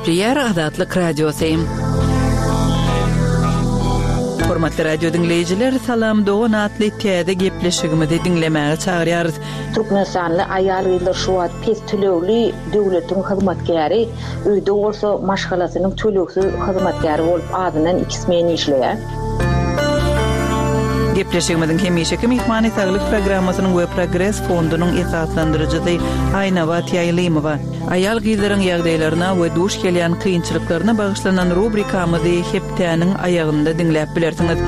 Gepleýär Azatlyk Radiosy. Hormatly radio diňleýjiler, Salam dogan atly täze gepleşigimizi diňlemäge çagyrýarys. Türkmenistanly aýal-gyzlar şu wagt pes tölegli döwletiň hyzmatkäri, öýde bolsa maşgalasynyň tölegsiz hyzmatkäri bolup azyndan iki smen işleýär. Gepleşigimiziň hemişeki myhmany Saglyk programmasynyň we Progres fondunyň esaslandyryjysy Aýnabat Ýaýlymowa. Aýal-gyzlaryň ýagdaýlaryna we duş gelýän kynçylyklaryna bagyşlanan rubrikamyzy hepdäniň aýagynda diňläp bilersiňiz.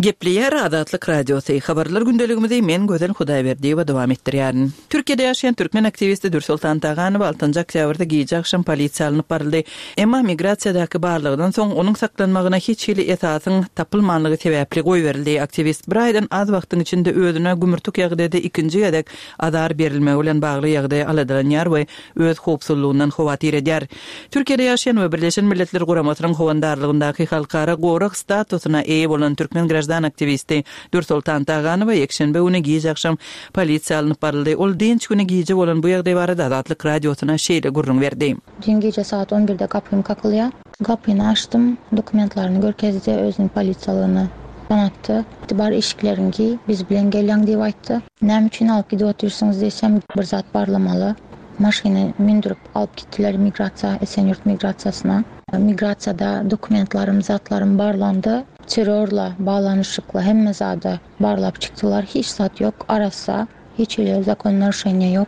Gepleýär Azatlyk Radiosy, Habarlar gündeligimizi men Gözel Hudaýberdiýewa dowam etdirýärin. Türkiýede ýaşaýan türkmen aktiwisti Dürsoltan Taganowa altynjy oktýabrda gije agşam polisiýa alnyp baryldy. Emma migrasiýadaky barlagdan soň onuň saklanmagyna hiç hili esasyň tapylmanlygy sebäpli goýberildi. Aktiwist bir aýdan az wagtyň içinde özüne gümürtik ýagdaýda ikinji gezek azar berilmegi bilen bagly ýagdaýa aladalanýar we öz howpsuzlygyndan howatyr edýär. Türkiýede ýaşaýan we Birleşen Milletler Guramasynyň howandarlygyndaky halkara gorag statusyna eýe bolan türkmen graždan aktiwisti Dürsoltan Taganowa ýekşenbe güni giç agşam polisiýa alnyp baryldy. Ol dynç güni gije bolan bu ýagdaý barada Azatlyk Radiosyna şeýle gürrüň berdi. Düýn gije sagat on birde gapym kakylýar. Gapyny açdym, dokumentlaryny görkezdi, özüniň polisiýalygyny tanatdy. Bar eşikleriňi geý, biz bilen gelýäň diýip aýtdy. Näme üçin alyp gidip otyrsyňyz diýsem, bir zat barlamaly. Maşyna mündürip alyp gitdiler migrasiýa, Esenýurt migrasiýasyna. Migrasiýada dokumentlarym, zatlarym barlandy. Terrorla baglanyşykly hemme zady barlap çykdylar. Hiç zat ýok, arassa, hiç hili zakon narušeniýa ýok.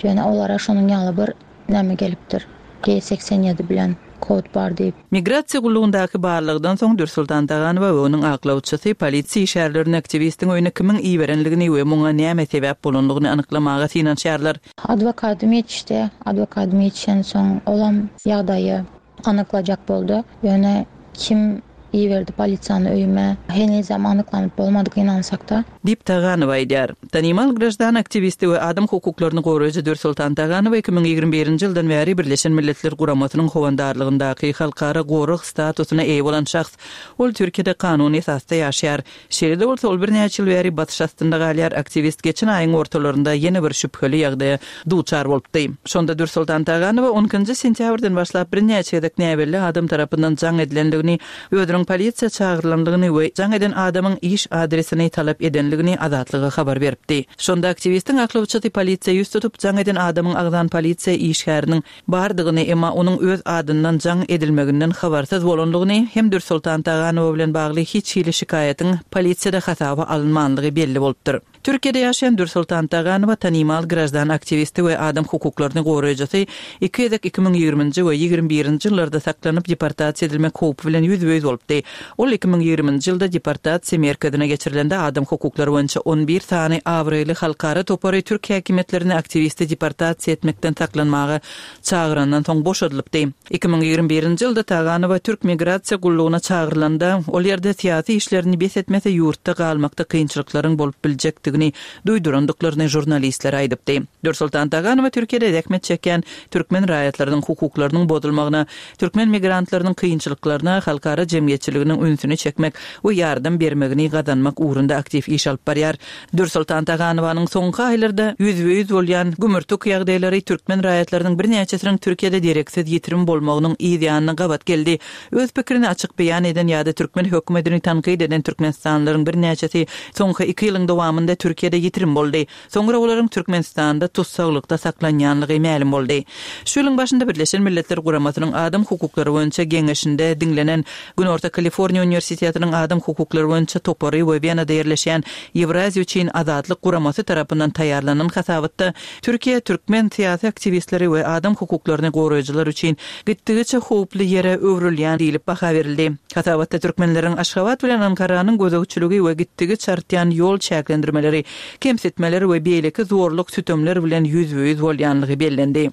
Ýöne olara şonuň ýaly bir näme gelipdir, G 87 bilen kod bar diýip. Migrasiýa gullugyndaky barlagdan soň Dürsoltan Taganowa we onuň aklawçysy polisiýa işgärlerine aktiwistiň öýüne kimiň iberenligini we muňa näme sebäp bolanlygyny anyklamaga synanyşýarlar. Adwokadym ýetişdi. Adwokadym ýetişensoň olam ýagdaýy anyklajak boldy. Ýöne kim iberdi polisiýany öýüme henizem anyklanyp bolmady gynansakda. Diýip, Taganowa aýdýar. Tanymal graždan aktiwisti we adam hukuklaryny goraýjy Dürsoltan Taganowa 2021-nji ýyldan bäri Birleşen Milletler Guramasynyň howandarlygyndaky halkara gorag statusyna eýe bolan şahs. Ol Türkiýede kanuny esasda ýaşaýar. Şeýle-de bolsa, ol birnäçe ýyl bäri basyş astynda galýar. Aktiwist geçen aýyň ortalarynda ýene bir şübheli ýagdaýa duçar bolupdy. Şonda Dürsoltan Taganowa on ikinji sentýabrdan başlap birnäçe gezek näbelli adam tarapyndan jaň edilendigini, özüniň polisiýa çagyrylandygyny we jaň eden adamyň iş adresini talap edendigini Azatlyga habar beripdi. Şonda aktiwistiň aklawçysy polisiýa ýüz tutup, jaň eden adamyň agzan polisiýa işgäriniň bardygyny, emma onuň öz adyndan jaň edilmeginden habarsyz bolandygyny hem Dürsoltan Taganowa bilen bagly hiç hili şikaýatyň polisiýada hasaba alynmandygy belli bolupdyr. Türkiýede ýaşaýan Dürsoltan Taganowa tanymal graždan aktiwisti we adam hukuklaryny goraýjysy iki gezek 2020-nji we 21-nji ýyllarda saklanyp deportasiýa edilmek howpy bilen ýüzbe-ýüz bolupdy. Ol 2020-nji ýylda deportasiýa merkezine geçirilende adam hukuklary boýunça on bir sany abraýly halkara topary türk häkimiýetlerini aktiwisti deportasiýa etmekden saklanmaga çagyrandan soň boşadylypdy. 2021-nji ýylda Taganowa türk migrasiýa gullugyna çagyrylanda, ol ýerde syýasy işlerini bes etmese ýurtda galmakda kynçylyklaryň bolup biljekdigini duýdurandyklaryny žurnalistlere aýdypdy. Dürsoltan Taganowa Türkiýede zähmet çekýän türkmen raýatlarynyň hukuklarynyň bozulmagyna, türkmen migrantlarynyň kynçylyklaryna halkara jemgyýetçiliginiň ünsüni çekmek we ýardam bermegini gazanmak ugrunda aktiw iş alyp barýar. Dürsoltan Taganowanyň soňky aýlarda ýüzbe-ýüz bolýan gümürtik ýagdaýlary türkmen raýatlarynyň birnäçesiniň Türkiýede dereksiz ýitirim bolmagynyň yz ýanyna gabat geldi. Öz pikirini açyk beýan eden ýa-da türkmen hökümetini tankyt eden türkmenistanlylaryň birnäçesi soňky iki ýylyň dowamynda Türkiýede ýitirim boldy. Soňra olaryň Türkmenistanda tussaglykda saklanýanlygy mälim boldy. Şu ýylyň başynda Birleşen Milletler Guramasynyň Adam hukuklary boýunça Geňeşinde diňlenen Günorta Kaliforniýa uniwersitetiniň Adam hukuklary boýunça topary we Wenada ýerleşýän Ýewraziýa üçin azatlyk guramasy tarapyndan taýýarlanan hasabatda Türkiýe türkmen syýasy aktiwistleri we adam hukuklaryny goraýjylar üçin gitdigiçe howply ýere öwrülýän diýlip baha berildi. Hasabatda türkmenleriň Aşgabat bilen Ankaranyň gözegçiligi we gitdigiçe artýan ýol çäklendirmeleri, kemsitmeler we beýleki zorluk-sütemler bilen ýüzbe-ýüz bolýanlygy bellendi.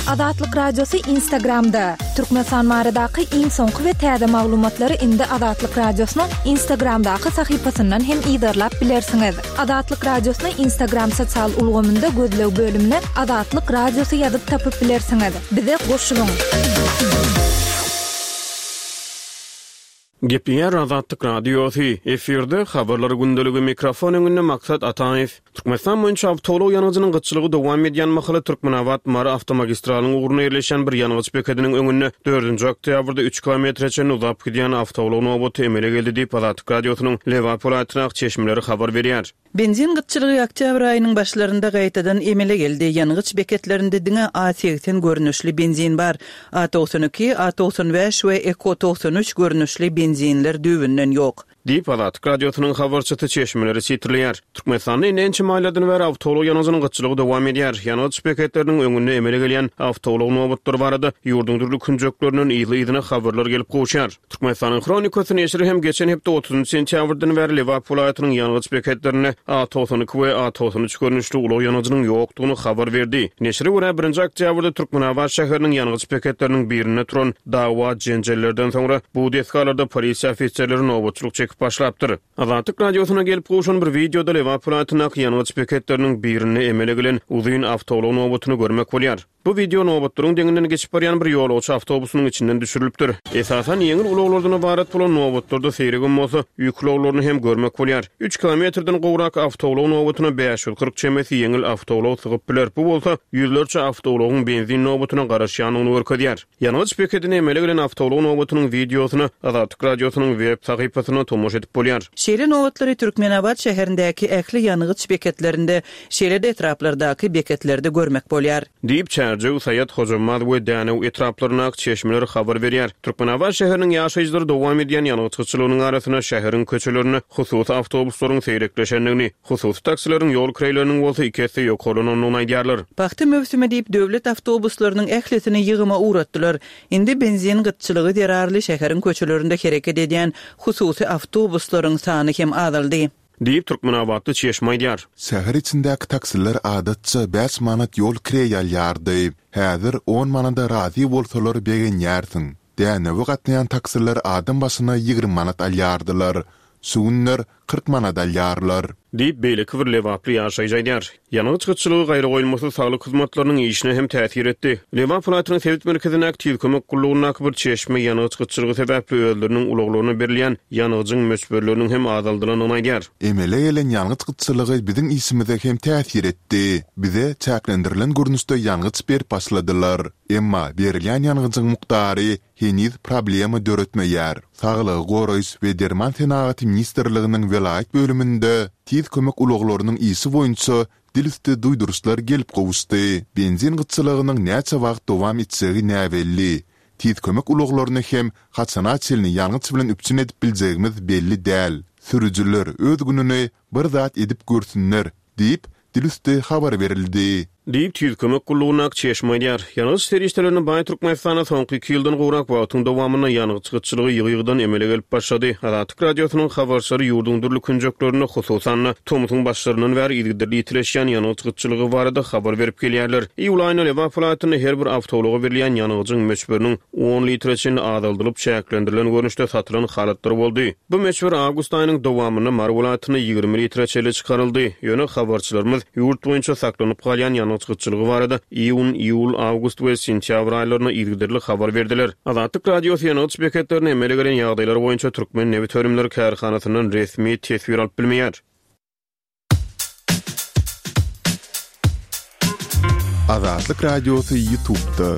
Azatlyk Radiosy Instagramda, Türkmenistan baradaky iň soňky we täze maglumatlary indi Azatlyk Radiosynyň Instagramdaky sahypasyndan hem yzarlap bilersiňiz. Azatlyk Radiosyny Instagram sosial ulgamynda gözleg bölümine Azatlyk Radiosy ýazyp tapyp bilersiňiz. Bize goşulyň! Gepleýär Azatlyk Radiosy, efirde Habarlar gündeligi, mikrofon öňünde Maksat Ataýew. Türkmenistan boýunça awtoulag ýangyjynyň gytçylygy dowam edýän mahaly Türkmenabat-Mary awtomagistralyň ugrunda ýerleşýän bir ýangyç bekediniň öňünde dördünji oktýabrda üç kilometre çenli uzap gidýän awtoulag nobaty emele geldi diýip, Azatlyk Radiosynyň Lebap welaýatyndaky çeşmeleri habar berýär. Benzin gytçylygy oktýabr aýynyň başlarynda gaýtadan emele geldi. Ýangyç beketlerinde diňe A 80 görnüşli benzin bar. A 92, A 95 we Eko 93 görnüşli benzinler düýbünden ýok. Diýip, Azatlyk Radiosynyň habarçysy çeşmeleri sitirleýär. Türkmenistanda indi ençeme aýlardan bäri awtoulag ýangyjynyň gytçylygy dowam edýär. Ýangyç beketleriniň öňünde emele gelýän awtoulag nobatlary barada ýurduň dürli künjeklerinden yzly-yzyna habarlar gelip gowuşýar. Türkmenistanyň Hronikasy neşiri hem geçen hepde otuzynjy sentýabrdan bäri Lebap welaýatynyň ýangyç beketlerinde A 92 we A 93 görnüşli ulag ýangyjynyň ýokdugyny habar berdi. Neşire görä, birinji oktýabrda Türkmenabat şäheriniň ýangyç beketleriniň birinde turan dawa-jenjellerden soňra bu desgalarda polisiýa ofiserleri nobatçylyk çekip başlapdyr. Azatlyk Radiosyna gelip gowşan bir wideoda Lebap welaýatyndaky ýangyç beketleriniň birinde emele gelen uzyn awtoulag nobatyny görmek bolýar. Bu wideo nobatlaryň deňinden geçip barýan bir ýolagçy awtobusynyň içinden düşürilipdir. Esasan ýeňil ulaglardan ybarat bolan nobatlarda seýregem bolsa, ýük ulaglaryny hem görmek bolýar. Üç kilometrden gowrak awtoulag nobatyna 540 çemesi ýeňil awtoulag sygyp biler. Bu bolsa, ýüzlerçe awtoulagyň benzin nobatyna garaşýandygyny görkezýär. Ýangyç bekedinde emele gelen awtoulag nobatynyň wideosyna Azatlyk Radiosynyň web sahypasynda tomaşa edip bolýar. Şeýle nobatlary Türkmenabat şäherindäki ähli ýangyç beketlerinde, şeýle-de etraplardaky beketlerde görmek bolýar. Diýip, Çärjew, Saýat, Hojambaz we Dänew etraplaryndaky çeşmeler habar berýär. Türkmenabat şäheriniň ýaşaýjylary dowam edýän ýangyç gytçylygynyň arasynda şäheriň köçelerinde hususy awtobuslaryň seýrekleşendigini, hususy taksileriň ýol kireýleriniň bolsa iki esse ýokarlanandygyny aýdýarlar. Pagta möwsümi diýip, döwlet awtobuslarynyň ählisini ýygyma ugratdylar. Indi benzin gytçylygy zerarly şäheriň köçelerinde hereket edýän hususy awtobuslaryň sany hem azaldy. Diýip, türkmenabatly çeşme aýdýar. Şäher içindäki taksiler adatça bäş manat ýol kireý alýardy. Häzir on manada razy bolsalar begenýärsiň. Dänewe gatnaýan taksiler adam başyna 20 manat alýardylar. Şu günler 40 manat alýarlar. Diýip, beýleki bir lebaply ýaşaýjy aýdýar. Ýangyç gytçylygy gaýragoýulmasyz saglyk hyzmatlarynyň işine hem täsir etdi. Lebap welaýatynyň sebit merkezindäki Tiz kömek gullugyndaky bir çeşme ýangyç gytçylygy sebäpli özleriniň ulaglaryna berilýän ýangyjyň möçberleriniň hem azaldylandygyny aýdýar. Emele gelen ýangyç gytçylygy biziň işimize hem täsir etdi. Bize çäklendirilen görnüşde ýangyç berip başladylar. Emma berilýän ýangyjyň mukdary heniz problema döretmeýär. Saglygy goraýyş we derman senagaty ministrliginiň welaýat bölüminde tiz kömek ulaglarynyň işi boýunça dil üsti duýduryşlar gelip gowuşdy. Benzin gytçylygynyň näçe wagt dowam etjegi näbelli. Tiz kömek ulaglaryny hem haçana çenli ýangyç bilen üpjün edip biljegimiz belli däl. Sürüjiler öz gününi bir zat edip görsünler diýip, dilüsti habar berildi. Diýip, Tiz kömek gullugyndaky çeşme aýdýar. Ýangyç serişdelerine baý Türkmenistanda soňky iki ýyldan gowrak wagtyň dowamynda ýangyç gytçylygy ýygy-ýygydan emele gelip başlady. Azatlyk Radiosynyň habarçylary ýurduň dürli künjeklerinde, hususan-da, tomsuň başlaryndan bäri yzygiderli ýitileşýän ýangyç gytçylygy barada habar berip gelýärler. Iýul aýynda Lebap welaýatynda her bir awtoulaga berilýän ýangyjyň möçberiniň on litre çenli azaldylyp, çäklendirilen görnüşde satylan halatlary boldy. Bu möçber awgust aýynyň dowamynda Mary welaýatynda 20 litre çenli çykaryldy. Ýöne habarçylarymyz ýurt boýunça saklanyp galýan ýangyç gytçylygy barada iýun, iýul, awgust we sentýabr aýlarynda yzygiderli habar berdiler. Azatlyk Radiosy ýangyç beketlerinde emele gelen ýagdaýlar boýunça Türkmennebitönümleri kärhanasyndan resmi teswir alyp bilmeýär. Azatlyk Radiosy YouTube'da.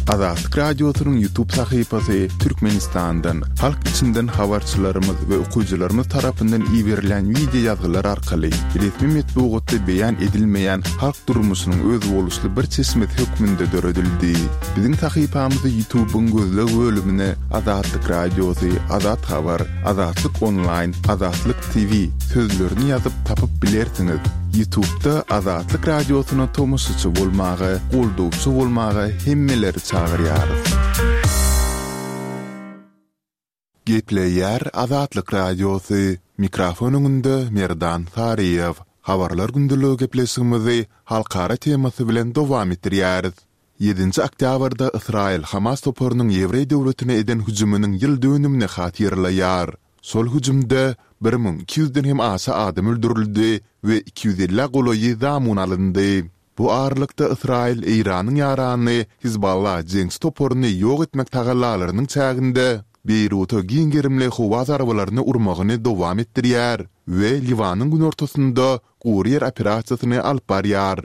Azatlyk Radiosynyň YouTube sahypasy Türkmenistandan, halk içinden habarçylarymyz we okyjylarymyz tarapyndan iberilen wideo ýazgylar arkaly resmi metbugatda beýan edilmeýän halk durmuşynyň özboluşly bir çeşmesi hökmünde döredildi. Biziň sahypamyzy YouTube'yň gözleg bölümine Azatlyk Radiosy, Azat Habar, Azatlyk Onlaýn, Azatlyk TV sözlerini ýazyp tapyp bilersiňiz. Ýutubda Azatlyk Radiosyna tomaşaçy bolmaga, goldawçy bolmaga hemmeleri çagyrýarys. Gepleýär Azatlyk Radiosy, mikrofon öňünde Merdan Saryýew. Habarlar gündeligi gepleşigimizi halkara temasy bilen dowam etdirýäris. Ýedinji oktýabrda Ysraýyl Hamas toparynyň ýewreý döwletine eden hüjüminiň ýyl dönümini hatyralaýar. Şol hüjümde 1200 ýüzden hem aşa adam öldürildi we 250-ä golaýy zamun alyndy. Bu aralykda Ysraýyl Eýranyň ýarany Hizballah jeňçi toparyny ýok etmek tagallalarynyň çäginde. Beýruta giň gerimli howa zarbalaryny urmagyny dowam etdirýär we Liwanyň günortasynda gury ýer operasiýasyny alyp barýar.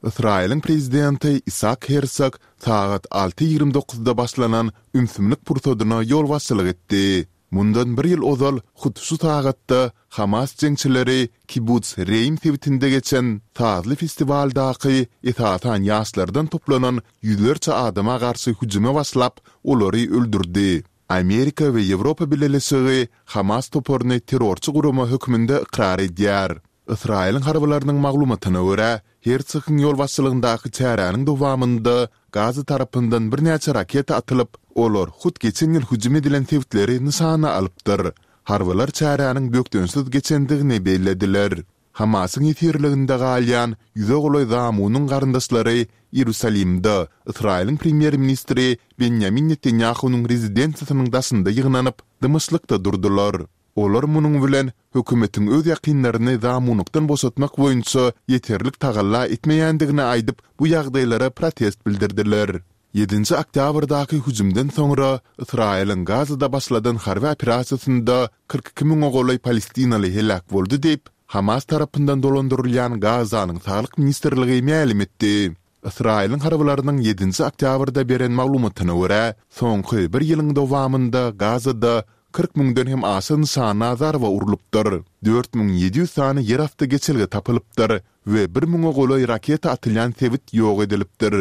Ysraýylyň prezidenti Isak Hersog sagat alty 29-da başlanan ümsümlik pursadyna ýolbaşçylyk etdi. Mundan bir ýyl ozal hut şu sagatda Hamas jeňçileri Kibbutz Reim sebitinde geçen sazly festiwaldaky esasan ýaşlardan toplanan ýüzlerçe adama garşy hüjüme başlap, olary öldürdi. Amerika we Ýewropa Bileleşigi Hamas toparyny terrorçy gurama hökmünde ykrar edýär. Ysraýylyň harbylarynyň maglumatyna görä, Hertsogyň ýolbaşçylygyndaky çäräniň dowamynda Gaza tarapyndan birnäçe raketa atylyp, olar hut geçen ýyl hüjüm edilen sebitleri nyşana alypdyr. Harbylar çäräniň bökdençsiz geçendigini bellediler. Hamasyň ýesirliginde galýan ýüze golaý zamunyň garyndaşlary Iýerusalimde Ysraýylyň premýer-ministri Benýamin Netanýahunyň rezidensiýasynyň daşynda ýygnanyp, dymyşlykda durdular. Olar munuň bilen hökümetiň öz ýakynlaryny zamunlykdan boşatmak boýunça ýeterlik tagalla etmeýändigini aýdyp, bu ýagdaýlara protest bildirdiler. Ýedinji oktýabrdaky hüjümden soňra Ysraýylyň Gazada başladan harby operasiýasynda 42 müňe golaý palestinaly heläk boldy diýip, Hamas tarapyndan dolandyrylýan Gazanyň Saglyk ministrligi mälim etdi. Ysraýylyň harbylarynyň ýedinji oktýabrda beren maglumatyna görä, soňky bir ýylyň dowamynda Gazada 40 müňden hem aşa nyşana zarba urlupdyr, 4700 sany ýerasty geçelge tapylypdyr we bir müňe golaý raketa atylýan sebit ýok edilipdir.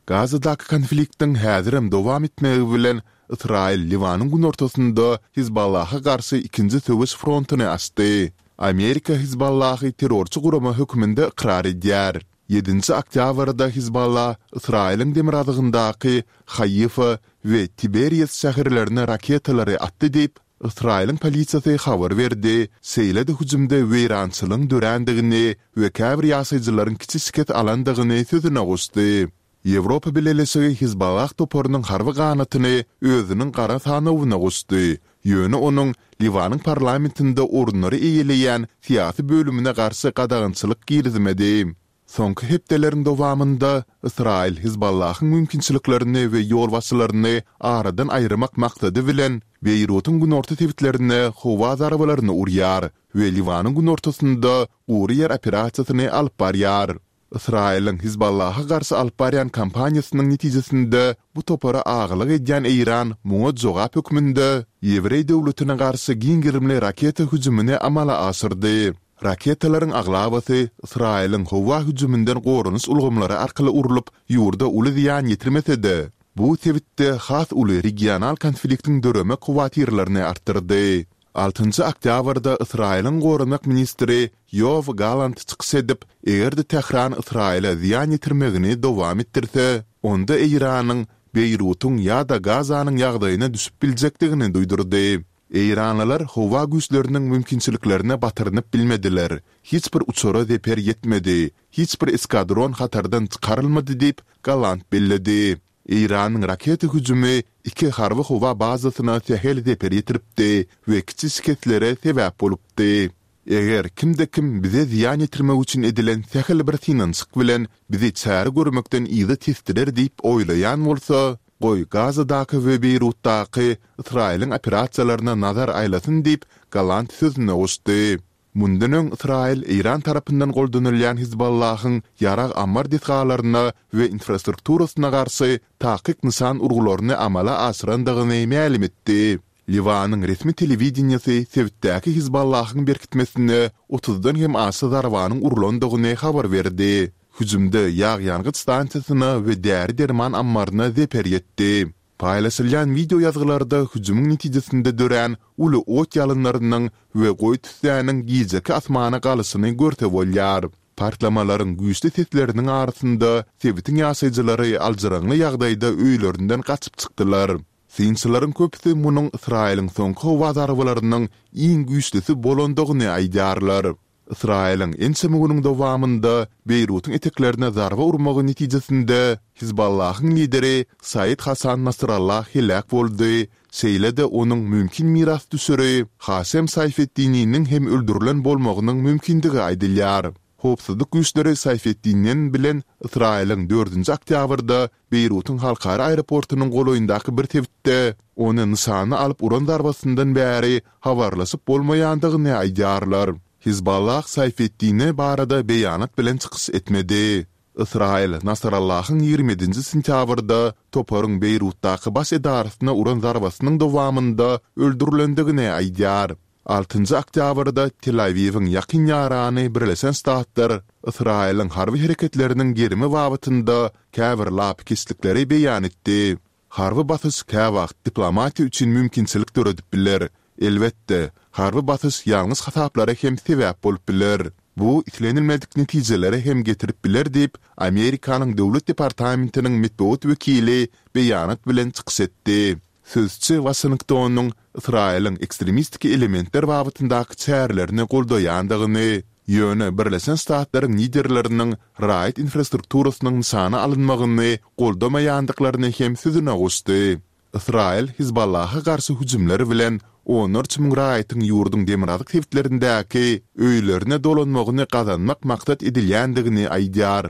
Gazadaky konfliktiň häzirem dowam etmegi bilen, Ysraýyl Liwanyň günortasynda Hizballaha garşy ikinji söweş frontuny açdy. Amerika Hizballahy terrorçy gurama hökmünde ykrar edýär. Ýedinji oktýabrda Hizballa Ysraýylyň demirgazygyndaky Haýfa we Tiberias şäherlerine raketalary atdy diýip, Ysraýylyň polisiýasy habar berdi, şeýle-de hüjümde weýrançylygyň dörändigini we käbir ýaşaýjylaryň kiçi şikes alandygyny sözüne goşdy. Ýewropa Bileleşigi Hizballah toparynyň harby ganatyny özüniň gara sanawyna goşdy, ýöne onuň Liwanyň parlamentinde orunlary eýeleýän syýasy bölümine garşy gadagançylyk girizmedi. Soňky hepdeleriň dowamynda Ysraýyl Hizballahyň mümkinçiliklerini we ýolbaşçylaryny aradan aýyrmak maksady bilen Beýrutyň günorta sebitlerine howa zarbalaryny urýar we Liwanyň günortasynda gury ýer operasiýasyny alyp barýar. Ysraýylyň Hizballaha garşy alyp barýan kampaniýasynyň netijesinde bu topara agalyk edýän Eýran muňa jogap hökmünde ýewreý döwletine garşy giň gerimli raketa hüjümini amala aşyrdy. Raketalaryň aglabasy Ysraýylyň howa hüjüminden goranyş ulgamlary arkaly urlup, ýurda uly zyýan ýetirmese-de, bu sebitde has uly regional konfliktiň döremek howatyrlaryny artdyrdy. Altynjy oktýabrda Ysraýylyň goranmak ministri Ýoaw Galant çykyş edip, eger-de Tähran Ysraýyla zyýan ýetirmegini dowam etdirse, onda Eýranyň Beýrutyň ýa-da Gazanyň ýagdaýyna düşüp biljekdigini duýdurdy. Eýranlylar howa güýçleriniň mümkinçiliklerine batyrynyp bilmediler, hiç bir uçara zeper ýetmedi, hiç bir eskadron hatardan çykarylmady diýip, Galant belledi. Eýranyň raketa hüjümi iki harby howa bazasyna sähel zeper ýetiripdi we kiçi şikeslere sebäp bolupdy. Eger kimde-kim bize zyýan ýetirmek üçin edilen sähel bir synanyşyk bilen bizi çäre görmekden yza tesdirer diýip oýlaýan bolsa, goý Gazadaky we Beýrutdaky Ysraýylyň operasiýalaryna nazar aýlasyn diýip, Galant sözüne goşdy. Mundan öň Ysraýyl Eýran tarapyndan goldanylýan Hizballahyň ýarag ammar desgalaryna we infrastrukturasyna garşy takyk nyşan urgularyny amala aşyrandygyny mälim etdi. Liwanyň resmi telewideniýesi sebitdäki Hizballahyň berkitmesine otuzdan hem aşa zarbanyň urlandygyny habar berdi. Hüjümde ýag-ýangyç stansiýasyna we däri-derman ammaryna zeper ýetdi. Paýlaşylýan wideo ýazgylarda hüjümiň netijesinde dörän uly ot ýalynlarynyň we goýy tüssäniň gijeki asmana galyşyny görse bolýar. Partlamalaryň güýçli sesleriniň arasynda sebitiň ýaşaýjylary aljyraňňy ýagdaýda öýlerinden gaçyp çykdylar. Synçylaryň köpüsi munuň Ysraýylyň soňky howa zarbalarynyň iň güýçlüsi bolandygyny aýdýarlar. Ysraýylyň ençeme günüň dowamynda Beýrutyň eteklerine zarba urmagy netijesinde Hizballahyň lideri Said Hasan Nasrallah heläk boldy, şeýle-de onuň mümkin mirasdüşeri Haşem Saýfeddininiň hem öldürilen bolmagynyň mümkindigi aýdylýar. Howpsuzlyk güýçleri Saýfeddinen bilen Ysraýylyň dördünji oktýabrda Beýrutyň halkara aeroportunyň golaýyndaky bir sebitde ony nyşana alyp uran zarbasyndan bäri habarlaşyp bolmaýandygyny aýdýarlar. Hizballah Saýfeddine barada beýanat bilen çykyş etmedi. Ysraýyl Nasrallahyň 27-nji sentýabrda toparyň Beýrutdaky baş edarasyna uran zarbasynyň dowamynda öldürilendigini aýdýar. Altynjy oktýabrda Tel-Awiwiň ýakyn ýarany Birleşen Ştatlar Ysraýylyň harby hereketleriniň gerimi babatynda käbir lapykeçlikleri beýan etdi. Harby basyş käwagt diplomatiýa üçin mümkinçilik döredip biler. Elbetde, harby basyş ýalňyş hasaplara hem sebäp bolup biler. Bu islenilmedik netijelere hem getirip biler diýip, Amerikanyň Döwlet departamentiniň metbugat wekili beýanat bilen çykyş etdi. Sözçi Waşingtonyň Ysraýylyň ekstremistik elementler babatyndaky çärelerini goldaýandygyny, ýöne Birleşen Ştatlaryň liderleriniň raýat infrastrukturasynyň nyşana alynmagyny goldamaýandyklaryny hem sözüne goşdy. Ysraýyl Hizballaha garşy hüjümler bilen onlarça müň raýatyň ýurduň demirgazyk sebitlerindäki öýlerine dolanmagyny gazanmak maksat edilýändigini aýdýar.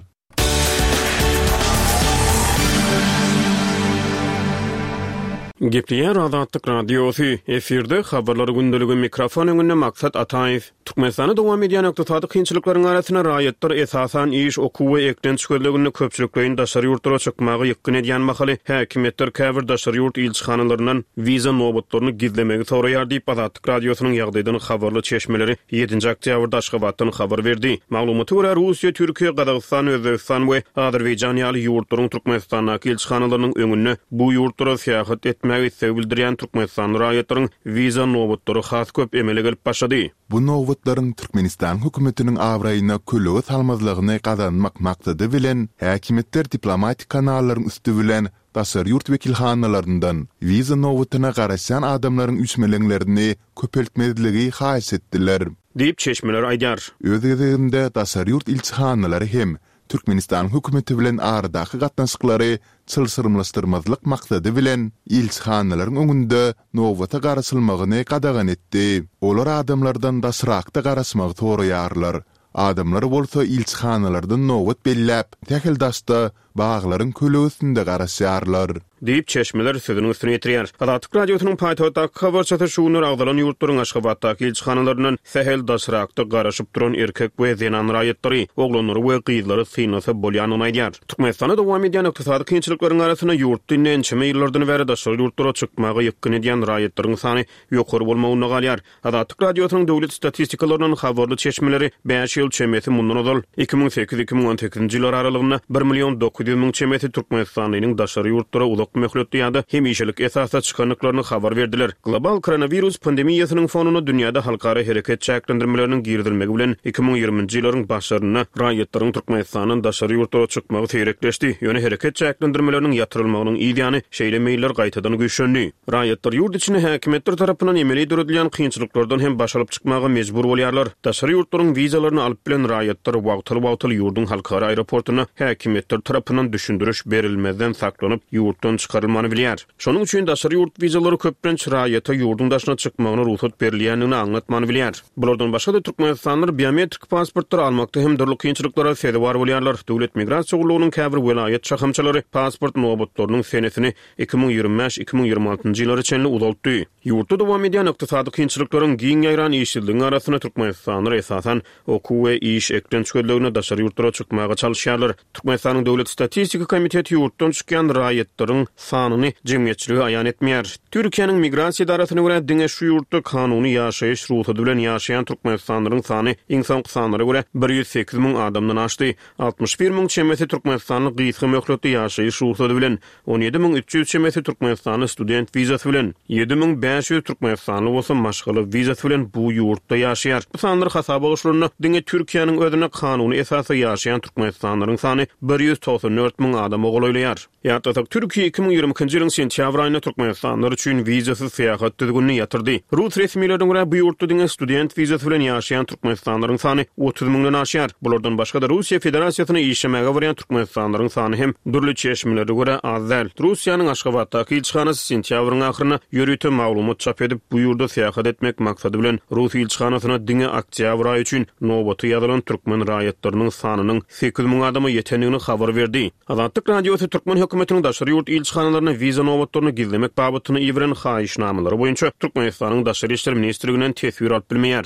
Gepleýär Azatlyk Radiosy, efirde Habarlar gündeligi, mikrofon öňünde Maksat Ataýew. Türkmenistanda dowam edýän ykdysady kynçylyklaryň arasynda raýatlar esasan iş, okuw we eklenç gözleginde köpçülikleýin daşary ýurtlara çykmaga ýykgyn edýän mahaly, häkimiýetler käbir daşary ýurt ilçihanalaryndan wiza nobatlaryny gizlemegi soraýar diýip, Azatlyk Radiosynyň ýagdaýdan habarly çeşmeleri ýedinji oktýabrda Aşgabatdan habar berdi. Maglumata görä, Russiýa, Türkiýe, Gazagystan, Özbegistan we Azerbaýjan ýaly ýurtlaryň Türkmenistandaky ilçihanalarynyň öňünde bu ýurtlara syýahat etmäge isleg bildirýän türkmenistanly raýatlaryň wiza nobatlary has köp emele gelip başlady. Bu nobatlaryň Türkmenistanyň hökümetiniň abraýyna kölege salmazlygyny gazanmak maksady bilen, häkimiýetler diplomatik kanallaryň üsti bilen daşary ýurt wekilhanalaryndan wiza nobatyna garaşýan adamlaryň üýşmeleňlerini köpeltmezligi haýyş etdiler. Diýip, çeşmeler aýdýar. Öz gezeginde daşary ýurt ilçihanalary hem Türkmenistanyň hökümeti bilen aradaky gatnaşyklary çylşyrymlaşdyrmazlyk maksady bilen, ilçihanalaryň öňünde nobata garaşylmagyny gadagan etdi. Olar adamlardan daşrakda garaşmagy soraýarlar. Adamlar bolsa ilçihanalardan nobat belläp, sähel daşda, baglaryň kölegesinde garaşýarlar. Diýip, çeşmeler sözüniň üstüni ýetirýär. Azatlyk Radiosynyň paýtagtdaky habarçysy şu günler agzalan ýurtlaryň Aşgabatdaky ilçihanalaryndan sähel daşrakda garaşyp duran erkek we zenan raýatlary, oglanlary we gyzlary synlasa bolýandygyny aýdýar. Türkmenistanda dowam edýän ykdysady kynçylyklaryň arasynda ýurtda indi ençeme ýyllardan bäri daşary ýurtlara çykmaga ýykgyn edýän raýatlaryň sany ýokary bolmagynda galýar. Azatlyk Radiosynyň döwlet statistikalaryndan habarly çeşmeleri bäş ýyl çemesi mundan ozal, 2008, 2018-nji ýyllar aralygynda bir million 900 müň çemesi türkmenistanlynyň daşary ýurtlara uzak möhletli ýa-da hemişelik esasda çykandyklaryny habar berdiler. Global koronawirus pandemiýasynyň fonunda dünýäde halkara hereket çäklendirmeleriniň girizilmegi bilen 2020-nji ýyllaryň başlarynda raýatlaryň Türkmenistandan daşary ýurtlara çykmagy seýrekleşdi, ýöne hereket çäklendirmeleriniň ýatyrylmagynyň yz ýany şeýle meýiller gaýtadan güýçlendi. Raýatlar ýurt içinde häkimiýetler tarapyndan emeli döredilýän kynçylyklardan hem baş alyp çykmaga mejbur bolýarlar. Daşary ýurtlaryň wizalaryny alyp bilen raýatlar wagtal-wagtal ýurduň halkara aeroportunda häkimiýetler tarapyndan düşündiriş berilmezden saklanyp, ýurtdan çykarylmany bilýär. Şonuň üçin daşary ýurt wizalary köplenç raýata ýurduň daşyna çykmagyna rugsat berilýändigini aňlatmany bilýär. Bulardan başga-da türkmenistanlylar biometrik pasportlary almakda hem dürli kynçylyklara sezewar bolýarlar. Döwlet migrasiýa gullugynyň käbir welaýat şahamçalary pasport nobatlarynyň senesini 2025, 2026-njy ýyllara çenli uzaltdy. Ýurtda dowam edýän ykdysady kynçylyklaryň, giň ýaýran işsizligiň arasynda türkmenistanlylar esasan okuw we iş, eklenç gözleginde daşary ýurtlara çykmaga çalyşýarlar. Türkmenistanyň Döwlet statistika komiteti ýurtdan çykýan raýatlaryň sanyny jemgyýetçilige aýan etmeýär. Türkiýäniň Migrasiýa edarasyna görä, diňe şu ýurtda kanuny ýaşaýyş rugsady bilen ýaşaýan türkmenistanlylaryň sany iň soňky sanlara görä 108 müň adamdan aşdy. 61 müň çemesi türkmenistanly gysga möhletli ýaşaýyş rugsady bilen, 17 300 çemesi türkmenistanly student wizasy bilen, 7500 türkmenistanly bolsa maşgala wizasy bilen bu ýurtda ýaşaýar. Bu sanlar hasaba goşulanda, diňe Türkiýäniň özünde kanuny esasda ýaşaýan türkmenistanlylaryň sany 194 müň adama golaýlaýar. Ýatlasak, Türkiýe 2022-nji ýylyň sentýabr aýynda türkmenistanlylar üçin wizasyz syýahat düzgünini ýatyrdy. Rus resmilerine görä, bu ýurtda diňe student wizasy bilen ýaşaýan türkmenistanlylaryň sany 30 müňden aşýar. Bulardan başga-da, Russiýa Federasiýasyna işlemäge barýan türkmenistanlylaryň sany hem dürli çeşmelere görä az däl. Russiýanyň Aşgabatdaky ilçihanasy sentýabryň ahyrynda ýörite maglumat. maglumat çap edip, bu ýurda syýahat etmek maksady bilen rus ilçihanasyna diňe oktýabr aýy üçin nobata ýazylan türkmen raýatlarynyň sanynyň 8000 adama ýetendigini habar berdi. Azatlyk Radiosy türkmen hökümetiniň daşary ýurt ilçihanalaryna wiza nobatlaryny gizlemek babatynda iberen haýyşnamalary boýunça Türkmenistanyň Daşary işler ministrliginden teswir alyp bilmeýär.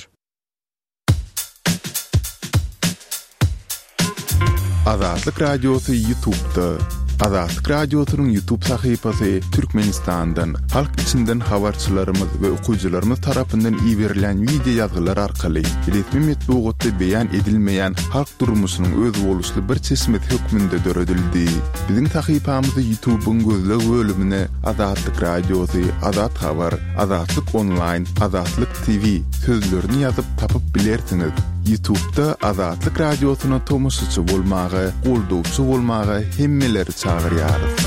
Azatlyk Radiosy Ýutubda. Azatlyk Radiosynyň Ýutub sahypasy Türkmenistandan, halk içinden habarçylarymyz we okyjylarymyz tarapyndan iberilen wideo ýazgylar arkaly resmi metbugatda beýan edilmeýän halk durmuşynyň özboluşly bir çeşmesi hökmünde döredildi. Biziň sahypamyzy Ýutubyň gözleg bölümine Azatlyk Radiosy, Azat Habar, Azatlyk Onlaýn, Azatlyk TV sözlerini ýazyp tapyp bilersiňiz. Ýutubda Azatlyk Radiosyna tomaşaçy bolmaga, goldawçy bolmaga hemmeleri çagyrýarys.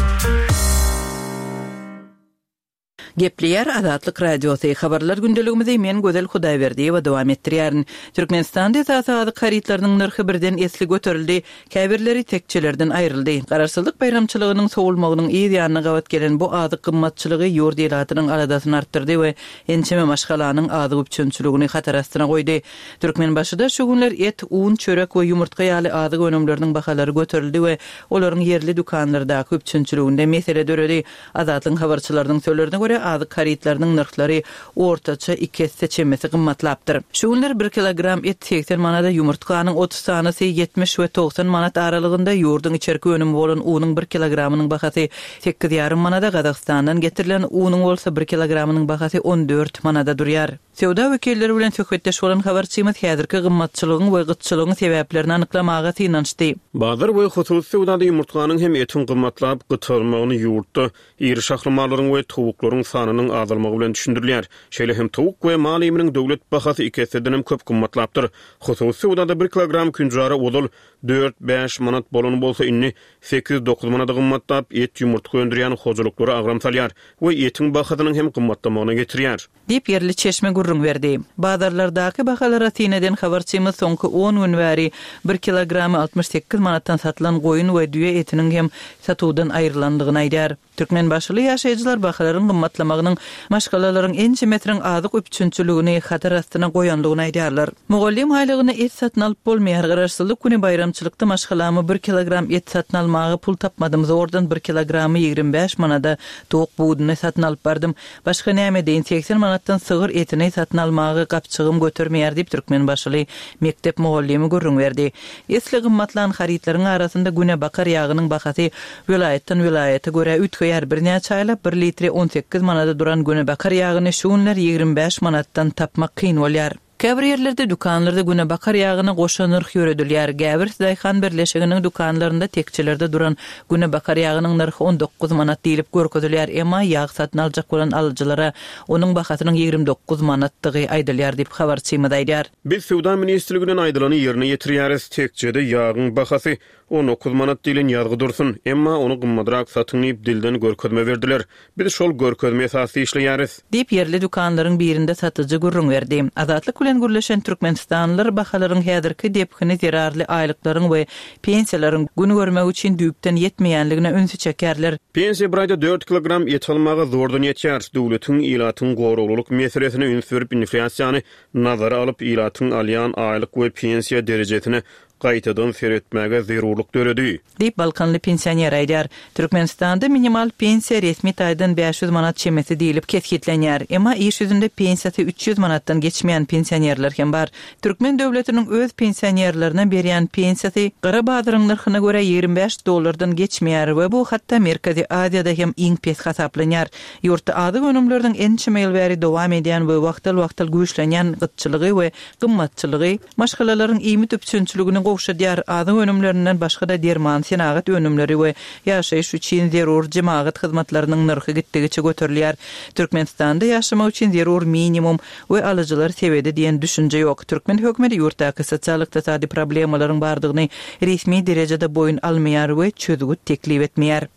Gepleýär Azatlyk Radiosy, Habarlar gündeligimizi men Gözel Hudaýberdiýewa dowam etdirýärin. Türkmenistanda esasy azyk harytlarynyň nyrhy birden esli göterildi. Käbirleri tekjelerden aýryldy. Garaşsyzlyk baýramçylygynyň sowulmagynyň yz ýanyna gabat gelen bu azyk gymmatçylygy ýurt ilatynyň aladasyny artdyrdy we ençeme maşgalanyň azyk üpjünçiligini hatar astyna goýdy. Türkmenbaşyda şu günler et, un, çörek we ýumurtga ýaly azyk önümleriniň bahalary göterildi we olaryň ýerli dükanlardaky üpjünçiliginde mesele döredi. Azatlygyň habarçylarynyň sözlerine görä, azyk harytlarynyň nyrhlary ortaça iki esse çemesi gymmatlapdyr. Şu günler bir kilogram et 80 manada, ýumurtganyň 30 sanysy 70 we 90 manat aralygynda, ýurduň içerki önümi bolan unuň bir kilogramynyň bahasy sekiz ýarym manada, Gazagystandan getirilen unuň bolsa bir kilogramynyň bahasy 14 manada durýar. Söwda wekilleri bilen söhbetdeş bolan habarçymyz häzirki gymmatçylygyň we gytçylygyň sebäplerini anyklamaga synanyşdy. Bazar we hususy söwdada ýumurtganyň hem etiň gymmatlap gytalmagyny ýurtda iri şahly mallaryň we towuklaryň sanynyň azalmagy bilen düşündirilýär. Şeýle hem towuk we mal iýminiň döwlet bahasy iki essedenem köp gymmatlapdyr. Hususy söwdada bir kilogram künjara ozal dört, bäş manat bolan bolsa, indi sekiz, dokuz manada gymmatlap, et, ýumurtga öndürýän hojalyklara agram salýar we etiň bahasynyň hem gymmatlamagyna getirýär. Diýip, ýerli çeşme gürrüň berdi. Bazarlardaky bahalara syn eden habarçymyz soňky on gün bäri bir kilogramy 68 manatdan satylan goýun we düýe etiniň hem satuwdan aýrylandygyny aýdýar. Türkmenbaşyly ýaşaýjylar bahalaryň gymmatlamagynyň maşgalalaryň ençemesiniň azyk üpjünçiligini hatar astyna goýandygyny aýdýarlar. Mugallym aýlygyna et satyn alyp bolmaýar. Garaşsyzlyk güni baýramçylykda maşgalama bir kilogram et satyn almaga pul tapmadym. Zordan bir kilogramy 25 manada towuk buduny satyn alyp bardym. Başga näme edeýin, 80 manatdan sygyr etini satyn almagy gapjygym götermeýär diýip, türkmenbaşyly mekdep mugallymy gürrüň berdi. Esli gymmatlan harytlaryň arasynda günebakar ýagynyň bahasy welaýatdan welaýata görä üýtgeýär. Birnäçe aýlap bir litri 18 manada duran günebakar ýagyny şu günler 25 manatdan tapmak kyn bolýar. Käbir ýerlerde dükanlarda günebakar ýagyna goşa nyrh ýöredilýär. Gäwers daýhan birleşiginiň dükanlarynda tekjelerde duran günebakar ýagynyň nyrhy 19 manat diýlip görkezilýär, emma ýag satyn aljak bolan alyjylara onuň bahasynyň 29 manatdygy aýdylýar diýip, habarçymyz aýdýar. Biz Söwda ministrliginden aýdylany ýerine ýetirýäris. Tekjede ýagyň bahasy 19 manat diýlen ýazgy dursun, emma ony gymmadrak satyň diýip dilden görkezme berdiler. Biz şol görkezme esasda işleýäris. Diýip, ýerli dükanlaryň birinde satyjy gürrüň berdi. Azatlyk bilen gürleşen türkmenistanlylar bahalaryň häzirki depgini zerarly aýlyklaryň we pensiýalaryň gün görmek üçin düýpden ýetmeýänligine ünsi çekýärler. Pensiýa bir aýda dört kilogram et almaga zordan ýetýär. Döwletiň ilatyň goraglylyk meselesine üns berip, inflýasiýany nazara alyp, ilatyň alýan aýlyk we pensiýa derejesine gaýtadan seretmäge zerurlyk döredi. Diýip, balkanly pensioner aýdýar. Türkmenistanda minimal pensiýa resmi taýdan 500 manat çemesi diýlip kesgitlenýär. Emma iş ýüzünde pensiýasy 300 manatdan geçmeýän pensionerler hem bar. Türkmen döwletiniň öz pensionerlerine berýän pensiýasy gara bazaryň nyrhyna görä 25 dollardan geçmeýär we bu hatda Merkezi Aziýada hem iň pes hasaplanýar. Ýurtda azyk önümleriniň ençeme ýyl bäri dowam edýän we wagtal-wagtal güýçlenýän gytçylygy we gymmatçylygy Maşgalalaryň iýmit üpjünçiligini gowşadýar, azyk önümlerinden başga-da derman, senagat önümleri we ýaşaýyş üçin zerur jemagat hyzmatlarynyň nyrhy gitdigiçe göterilýär. Türkmenistanda ýaşamak üçin zerur minimum we alyjylar sebedi diýen düşünje ýok. Türkmen hökümeti ýurtdaky sosial-ykdysady problemalaryň bardygyny resmi derejede boýun almaýar we çözgüt teklip etmeýär.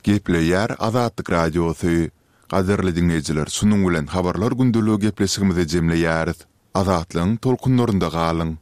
Gepleýär Azatlyk Radiosy. Gadyrly diňleýjiler şunuň bilen habarlar gündeligi gepleşigimizi jemleýäris. Azatlygyň tolkunlarynda galyň.